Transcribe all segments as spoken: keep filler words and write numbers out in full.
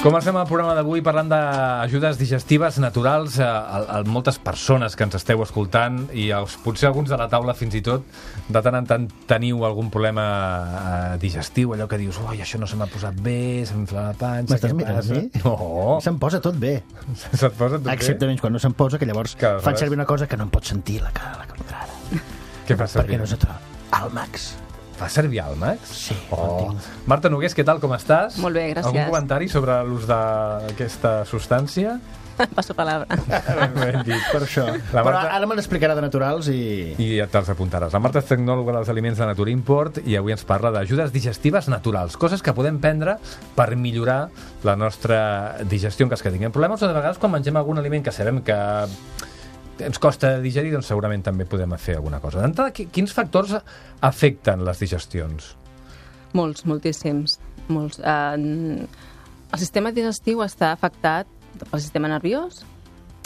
Comencem el programa d'avui parlant d'ajudes digestives naturals a, a, a moltes persones que ens esteu escoltant i els, potser alguns de la taula fins i tot de tant en tant teniu algun problema eh, digestiu, allò que dius oi, això no se m'ha posat bé, se'm infla la panxa. M'estàs mirant, sí? No. Se'm posa tot bé. Se't posa tot Excepte bé? menys quan no se'm posa, que llavors que fan servir una cosa que no em pot sentir la cara de la contrada. Què fa servir? Perquè no se troba. Almax. Fa servir Almax? Sí. Oh. Marta Nogués, què tal, com estàs? Molt bé, gràcies. Algun comentari sobre l'ús d'aquesta substància? Passo palabra. Ben dit. Per això. La Però Marta... ara me l'explicarà de naturals i... I ja te'ls apuntaràs. La Marta és tecnòloga dels aliments de Natura Import i avui ens parla d'ajudes digestives naturals, coses que podem prendre per millorar la nostra digestió en cas que tinguem problemes, o de vegades quan mengem algun aliment que sabem que ens costa digerir, doncs segurament també podem fer alguna cosa. D'entrada, quins factors afecten les digestions? Molts, moltíssims. Molts. Uh, el sistema digestiu està afectat pel sistema nerviós,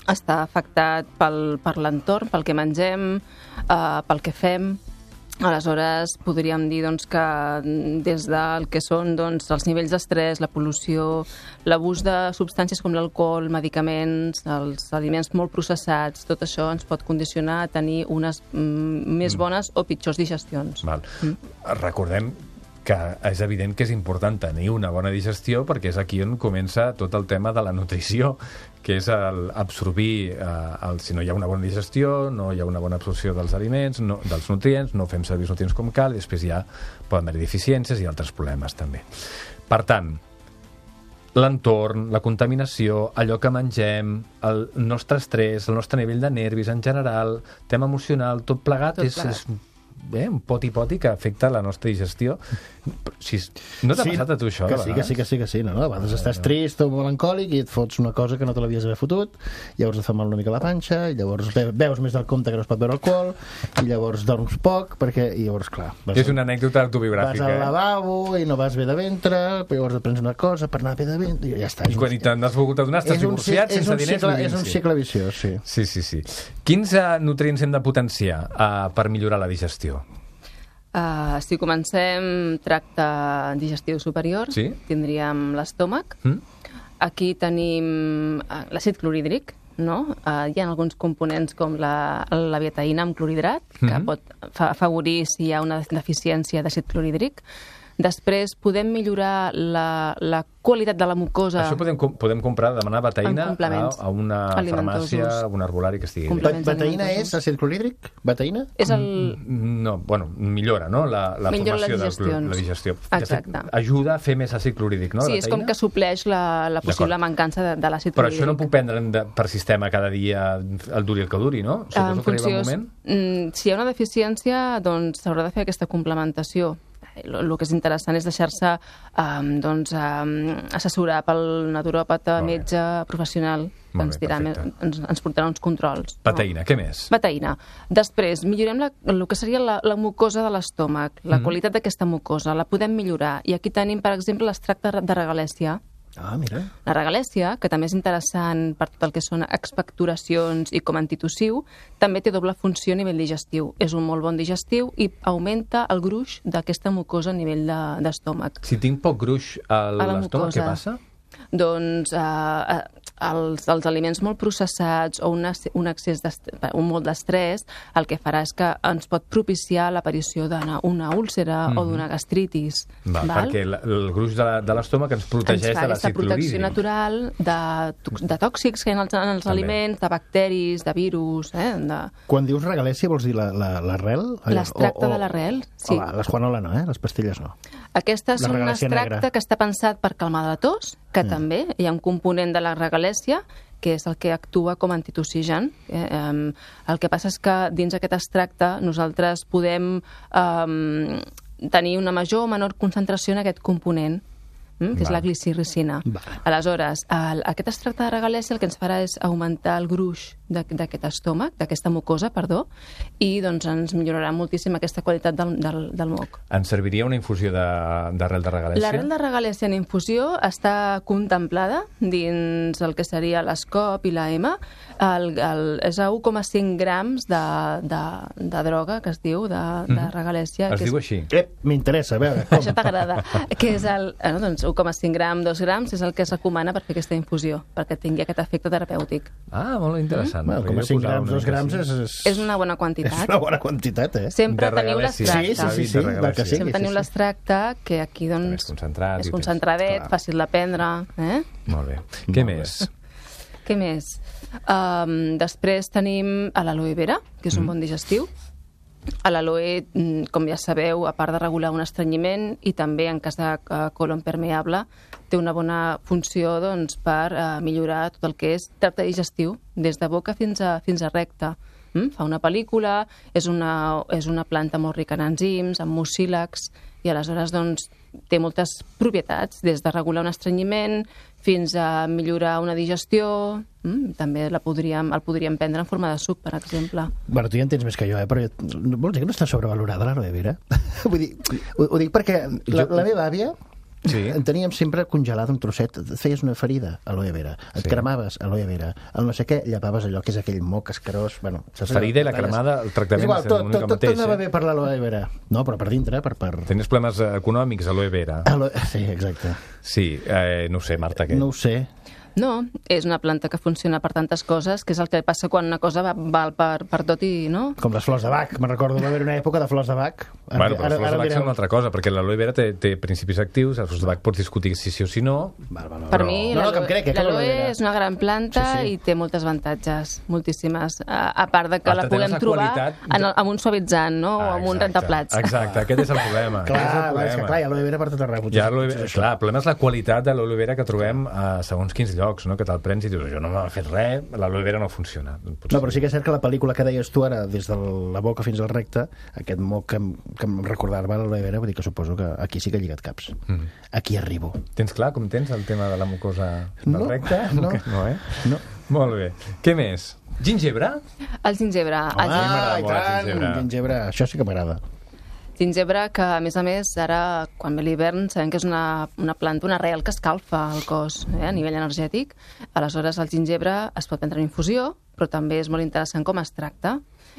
està afectat pel, per l'entorn, pel que mengem, uh, pel que fem. Aleshores, podríem dir doncs, que des del que són doncs, els nivells d'estrès, la pol·lució, l'abús de substàncies com l'alcohol, medicaments, els aliments molt processats, tot això ens pot condicionar a tenir unes mm, més bones o pitjors digestions. Val. Mm. Recordem que és evident que és important tenir una bona digestió perquè és aquí on comença tot el tema de la nutrició, que és el absorbir, eh, el, si no hi ha una bona digestió, no hi ha una bona absorció dels aliments, no, dels nutrients, no fem servir els nutrients com cal, i després ja poden haver deficiències i altres problemes també. Per tant, l'entorn, la contaminació, allò que mengem, el nostre estrès, el nostre nivell de nervis en general, tema emocional, tot plegat, tot és... plegat. és Bé, un poti-poti que afecta la nostra digestió. Si, no t'ha sí, passat a tu això? Que sí, que sí, que sí, que sí. No, no, a vegades estàs trist o melancòlic i et fots una cosa que no te l'havies d'haver fotut, llavors et fa mal una mica la panxa, i llavors veus més del compte que no es pot beure alcohol, i llavors dorms poc, perquè, i llavors, clar... Vas, és una anècdota autobiogràfica. Vas al lavabo i no vas bé de ventre, però llavors et prens una cosa per anar bé de ventre, i ja està. I quan i te'n has volgut adonar, estàs divorciat, sense diners... Cicle, és un cicle viciós, sí. Sí, sí, sí. Quins uh, nutrients hem de potenciar uh, per millorar la digestió? Uh, si comencem tracte digestiu superior, sí? tindríem l'estómac. Mm? Aquí tenim l'àcid clorhídric, no? Uh, hi ha alguns components com la, la betaïna amb clorhidrat, que mm-hmm. pot afavorir si hi ha una deficiència d'àcid clorhídric. Després podem millorar la, la qualitat de la mucosa. Això podem, podem comprar, demanar betaïna a, a una farmàcia, a un herbolari que estigui bé. Betaïna és àcid clorhídric? Betaïna? És el... No, bueno, millora, no? La, la millora formació de la digestió. Exacte. Ajuda a fer més àcid clorhídric, no? Sí, és com que supleix la, la possible mancança de, de l'àcid clorhídric. Però això no puc prendre de, per sistema cada dia el duri el que duri, no? Suposo en funció, que arriba un moment... Si hi ha una deficiència, doncs s'haurà de fer aquesta complementació. El que és interessant és deixar-se um, doncs, um, assessorar pel naturòpata, metge professional, que ens, dirà, ens, ens portarà uns controls. Betaïna, no? Què més? Betaïna. Després, millorem la, el que seria la, la mucosa de l'estómac, la mm. qualitat d'aquesta mucosa, la podem millorar. I aquí tenim, per exemple, l'extracte de regalèssia. Ah, mira. La regalèssia, que també és interessant per tot el que són expectoracions i com antitussiu, també té doble funció a nivell digestiu. És un molt bon digestiu i augmenta el gruix d'aquesta mucosa a nivell d'estómac. Si tinc poc gruix a l'estómac, què passa? Doncs eh, els, els aliments molt processats o una, un excés un molt d'estrès el que farà és que ens pot propiciar l'aparició d'una úlcera mm-hmm. o d'una gastritis. Va, val? Perquè el, el gruix de l'estómac ens protegeix de l'àcid clorhídric. Ens fa protecció natural de, de tòxics que hi ha en els, en els aliments, de bacteris, de virus... Eh, de... Quan dius regalèssia vols dir l'arrel? L'extracte de l'arrel, sí. Oh, les Juanola no, eh? Les pastilles no. Aquestes són un extracte que està pensat per calmar la tos, que mm. també hi ha un component de la regalèssia que és el que actua com a antitussigen. Eh, eh, el que passa és que dins aquest extracte nosaltres podem eh, tenir una major o menor concentració en aquest component, mm, que és la glicirricina. Vale. Aleshores, el, aquest extracte de regalèssia el que ens farà és augmentar el gruix d'aquest estómac, d'aquesta mucosa, perdó, i doncs ens millorarà moltíssim aquesta qualitat del, del, del moc. Ens serviria una infusió d'arrel de, de regalèssia? L'arrel de regalèssia en infusió està contemplada dins el que seria l'Escop i la E M A. El, el, és a un coma cinc grams de, de, de droga, que es diu, de, de regalèssia. Es que diu és... així? Eh, m'interessa, a veure. Com? Això t'agrada. Que és el... Eh, no, doncs, un coma cinc gram, dos grams és el que es recomana per fer aquesta infusió, perquè tingui aquest efecte terapèutic. Ah, molt interessant. Bueno, com a cinc grams, dos grams és, és... És una bona quantitat. És una bona quantitat, eh? Sempre De teniu regalèssia. l'extracte. Sí, sí, sí, sí, del que sigui. Sempre teniu sí, sí. l'extracte, que aquí doncs És concentrat. és i tens- concentradet, clar. fàcil de prendre. Eh? Molt bé. Què Molt bé. més? Què més? Um, després tenim a l'aloe vera, que és un bon digestiu. A l'aloe, mm, com ja sabeu, a part de regular un estrenyiment i també en cas de uh, colon permeable, té una bona funció doncs, per uh, millorar tot el que és tracte digestiu, des de boca fins a, fins a recte. Mm? Fa una pel·lícula, és una, és una planta molt rica en enzims, en mucílags, i aleshores doncs, té moltes propietats, des de regular un estrenyiment fins a millorar una digestió. Mm? També la podríem, el podríem prendre en forma de suc, per exemple. Bueno, tu ja en tens més que jo, eh? Però jo, vols dir que no està sobrevalorada l'aloe vera? Vull dir, ho, ho dic perquè la, la meva àvia Sí. en teníem sempre congelat un trosset, et feies una ferida, aloe vera, et Sí. cremaves, aloe vera, el no sé què, llapaves allò que és aquell moc escarós, bueno... saps allò? Ferida i la cremada, el tractament és igual, és tot, una tot, mica tot, tot mateix, anava eh? bé per l'aloe vera. No, però per dintre, per... per... Tenies problemes eh, econòmics, aloe vera. Aloe... Sí, exacte. Sí, eh, no ho sé, Marta, què? No ho sé. No, és una planta que funciona per tantes coses, que és el que passa quan una cosa va, val per, per tot i... no? Com les flors de Bach. Me'n recordo d'haver una època de flors de Bach. Bueno, però les flors de Bach mireu. són una altra cosa, perquè l'aloe vera té, té principis actius, les flors de Bach pots discutir si sí o si no. Val, val, val. Per Però- mi, No, no, que em crec, eh, que l'aloe l'aloe vera. és una gran planta Sí, sí. i té moltes avantatges, moltíssimes. A, a part de que Marta, la tens puguem la trobar qualitat de- en el, amb un suavitzant, no? o amb un exacte, rentaplats. Exacte, aquest és el problema. Clar, aquest és el va, és que problema. clar, hi ha aloe vera per tot arreu. potser- Ja, aloe potser vera, és això. clar, el problema és la qualitat de l'aloe vera que trobem a segons quins llocs, no? Que te'l prens i dius, això no m'ha fet res, l'aloe vera no funciona. Potser... No, però sí que és cert que la pel·lícula que deies tu ara, des de la boca fins al recte, aquest moc que, em- que em recordava l'aloe vera, vull dir que suposo que aquí sí que he lligat caps. Mm. Aquí arribo. Tens clar com tens el tema de la mucosa del No, recte? no. no, eh? No. Molt bé. Què més? Gingebre? El gingebre. El m'agrada Ah, i molt el tant! gingebre. Gingebre. Això sí que m'agrada. gingebre que, a més a més, ara, quan ve l'hivern, sabem que és una, una planta, una arrel que escalfa el cos eh, a nivell energètic. Aleshores, el gingebre es pot prendre en infusió, però també és molt interessant com es tracta.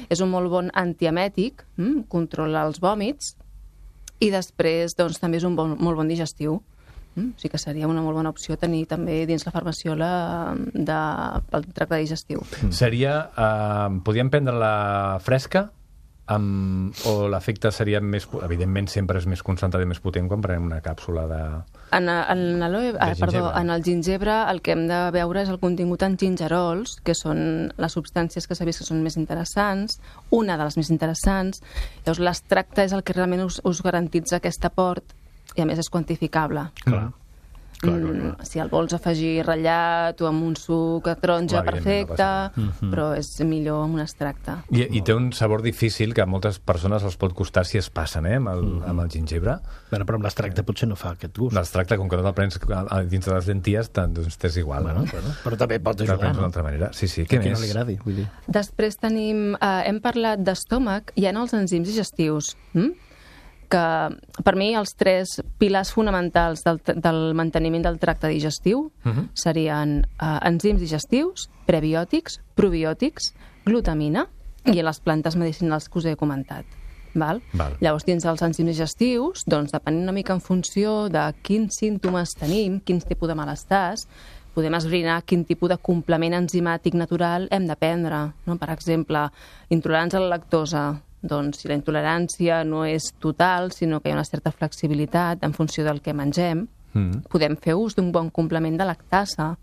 És un molt bon antiemètic, hm? Controla els vòmits, i després doncs, també és un bon, molt bon digestiu. Mm? O sigui que seria una molt bona opció tenir també dins la farmaciola de, pel tracte digestiu. Seria... Eh, podríem prendre-la fresca? Amb, o l'efecte seria més... Evidentment, sempre és més concentrat i més potent quan prenem una càpsula de... En, en, aloe, ah, perdó, gingebre. en el gingebre el que hem de veure és el contingut en gingerols, que són les substàncies que s'ha vist que són més interessants, una de les més interessants. Llavors, l'extracte és el que realment us, us garantitza aquest aport i, a més, és quantificable. Clar. Clar, clar, Mm, si el vols afegir ratllat o amb un suc de taronja, Clar, evidentment, perfecte, no passa però és millor amb un extracte. I, I té un sabor difícil que a moltes persones els pot costar si es passen, eh, amb el, amb el gingebre. Bueno, però amb l'extracte potser no fa aquest gust. L'extracte, com que no te'l prens a- a- dins de les lenties, tant, doncs t'és igual. Bueno, no? bueno, però també pot Te'l ajudar, prens d'una no? altra manera. Sí, sí. Què A qui no més? li agradi, vull dir. Després tenim, eh, hem parlat d'estómac, hi ha els enzims digestius, hm? que per mi els tres pilars fonamentals del, del manteniment del tracte digestiu Uh -huh. serien eh, enzims digestius, prebiòtics, probiòtics, glutamina i les plantes medicinals que us he comentat. Val? Val. Llavors, dins dels enzims digestius, doncs, depenent una mica en funció de quins símptomes tenim, quins tipus de malestars, podem esbrinar quin tipus de complement enzimàtic natural hem de prendre. No? Per exemple, intolerants a la lactosa. Doncs si la intolerància no és total, sinó que hi ha una certa flexibilitat en funció del que mengem, Mm. podem fer ús d'un bon complement de lactasa.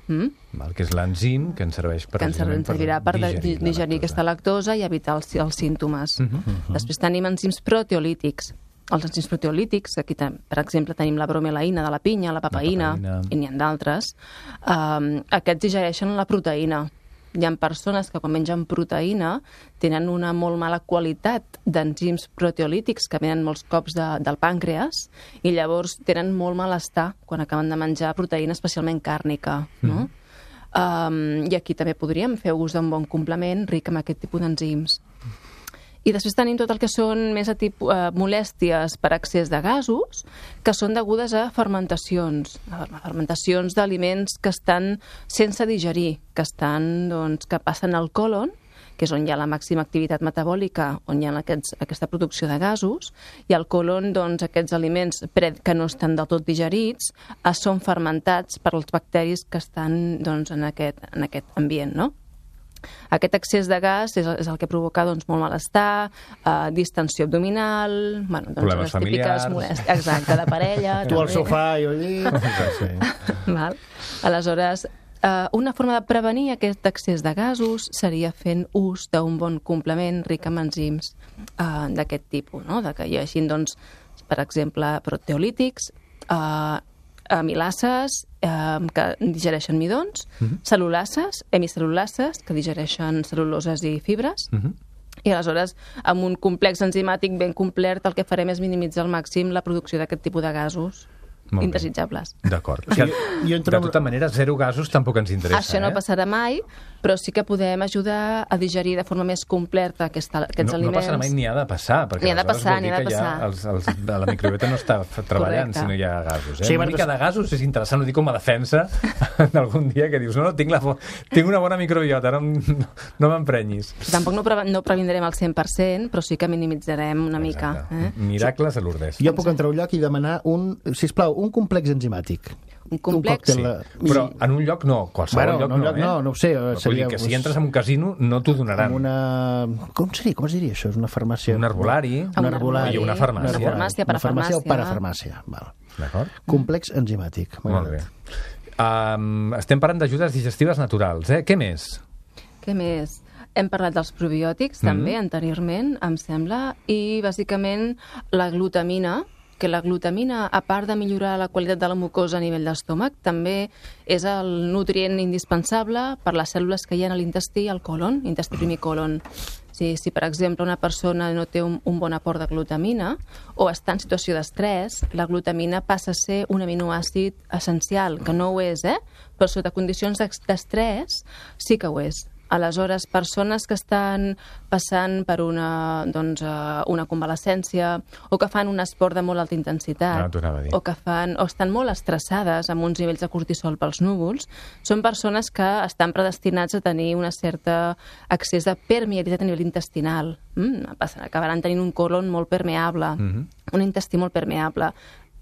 Mm? Val, que és l'enzim que ens serveix per, que ens precisament servirà per digerir, digerir, digerir la aquesta lactosa i evitar els, els símptomes. Uh -huh, uh -huh. Després tenim enzims proteolítics. Els enzims proteolítics, aquí ten, per exemple tenim la bromelaïna de la pinya, la papaïna, La papaïna. i n'hi ha d'altres. Um, aquests digereixen la proteïna. Hi ha persones que quan mengen proteïna tenen una molt mala qualitat d'enzims proteolítics que venen molts cops de, del pàncreas i llavors tenen molt malestar quan acaben de menjar proteïna, especialment càrnica. No? Mm. Um, I aquí també podríem fer ús d'un bon complement ric en aquest tipus d'enzims. I després tenim tot el que són més a tipus, eh, molèsties per excés de gasos, que són degudes a fermentacions, a fermentacions d'aliments que estan sense digerir, que estan, doncs, que passen al colon que és on hi ha la màxima activitat metabòlica, on hi ha aquests, aquesta producció de gasos, i al colon, doncs, aquests aliments que no estan del tot digerits eh, són fermentats per als bacteris que estan doncs, en, aquest, en aquest ambient, no? Aquest excés de gas és, és el que provoca doncs, molt malestar, eh, distensió abdominal, bueno, doncs, problemes les típiques molèsties, exacte, de parella. Tu al també. sofà i jo allí. Sí. Val? Aleshores, eh, una forma de prevenir aquest excés de gasos seria fent ús d'un bon complement ric en enzims eh, d'aquest tipus, no? De que hi hagi, doncs, per exemple, proteolítics, eh, amilases eh, que digereixen midons, uh -huh. cel·lulases, hemicel·lulases, que digereixen cel·luloses i fibres, uh -huh. i aleshores, amb un complex enzimàtic ben complet, el que farem és minimitzar al màxim la producció d'aquest tipus de gasos indesitjables. D'acord. O sigui, jo entro... De tota manera, zero gasos tampoc ens interessa. Això no eh? passarà mai, però sí que podem ajudar a digerir de forma més completa aquesta, aquests no, aliments. No passarà mai, ni ha de passar, perquè Ni ha de aleshores passar, vol dir ni ha de que ja passar. els, els, la microbiota no està treballant Correcte. si no hi ha gasos. Eh? Sí, Una perquè- mica de gasos és interessant, ho dic com a defensa d'algun dia que dius, no, no, tinc, la, fo- tinc una bona microbiota, no, no, no m'emprenyis. Tampoc no, pre no previndrem al cent per cent, però sí que minimitzarem una mica. Exacte. Eh? Miracles a Lourdes. Jo puc entrar a un lloc i demanar un, sisplau, un complex enzimàtic. Un complex. còctel Sí, de- però en un lloc no, qualsevol Bueno, lloc en un no, lloc eh? no, no ho sé, Però vull seria, dir que si doncs, entres en un casino no t'ho donaran. amb una... Com seria? Com es diria això? És una farmàcia... Un herbolari. Un Un herbolari. I una farmàcia. Un herbolari. Farmàcia, Una farmàcia o parafarmàcia. parafarmàcia. Val. D'acord? Complex enzimàtic. M'ha Molt bé. agradat. Um, estem parlant d'ajudes digestives naturals, eh? Què més? Què més? Hem parlat dels probiòtics, també, Mhm. anteriorment, em sembla, i, bàsicament, la glutamina, que la glutamina, a part de millorar la qualitat de la mucosa a nivell d'estómac, també és el nutrient indispensable per les cèl·lules que hi ha a l'intestí, al colon, intestí primer colon. Si, si, per exemple, una persona no té un, un bon aport de glutamina o està en situació d'estrès, la glutamina passa a ser un aminoàcid essencial, que no ho és, eh? Però sota condicions d'estrès sí que ho és. Aleshores, persones que estan passant per una, doncs, uh, una convalescència o que fan un esport de molt alta intensitat Ah, t'ho anava a dir. o que fan, o estan molt estressades amb uns nivells de cortisol pels núvols, són persones que estan predestinats a tenir una certa excés de permeabilitat a nivell intestinal. Mm, acabaran tenint un colon molt permeable, Mhm. un intestí molt permeable.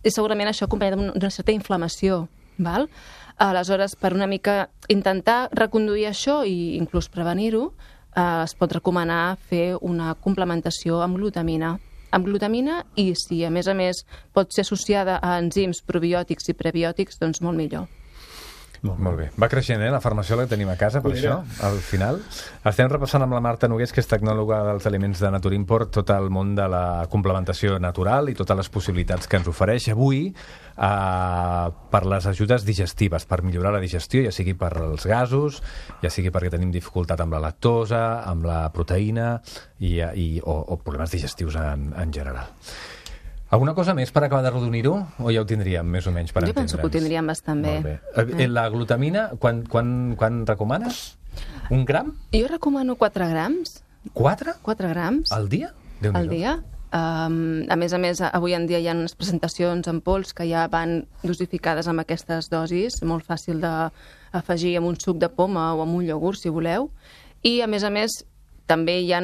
I segurament això acompanyat d'una certa inflamació, val? Aleshores, per una mica intentar reconduir això i inclús prevenir-ho, eh, es pot recomanar fer una complementació amb glutamina. Amb glutamina i, si a més a més pot ser associada a enzims probiòtics i prebiòtics, doncs molt millor. Molt bé. Va creixent, eh, la farmacèutica que tenim a casa, per Mira. això, al final. Estem repassant amb la Marta Nogués, que és tecnòloga dels aliments de Nature Import, tot el món de la complementació natural i totes les possibilitats que ens ofereix avui eh, per les ajudes digestives, per millorar la digestió, ja sigui per els gasos, ja sigui perquè tenim dificultat amb la lactosa, amb la proteïna i, i, o, o problemes digestius en, en general. Alguna cosa més per acabar de rodonir-ho? O ja ho tindríem, més o menys, per Jo entendre'ns? penso que ho tindríem bastant bé. Molt bé. Eh, La glutamina, quan, quan, quan recomanes? Un gram? Jo recomano quatre grams, Quatre? quatre grams Al dia? Déu-n'hi-do. al dia. Um, a més a més, avui en dia hi ha unes presentacions en pols que ja van dosificades amb aquestes dosis, molt fàcil d'afegir amb un suc de poma o amb un iogurt, si voleu. I, a més a més, també hi ha,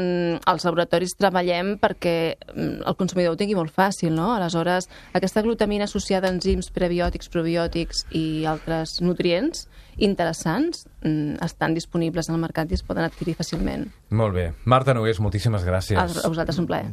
als laboratoris treballem perquè el consumidor ho tingui molt fàcil, no? Aleshores, aquesta glutamina associada a enzims prebiòtics, probiòtics i altres nutrients interessants estan disponibles al mercat i es poden adquirir fàcilment. Molt bé. Marta Nogués, moltíssimes gràcies. A vosaltres un plaer.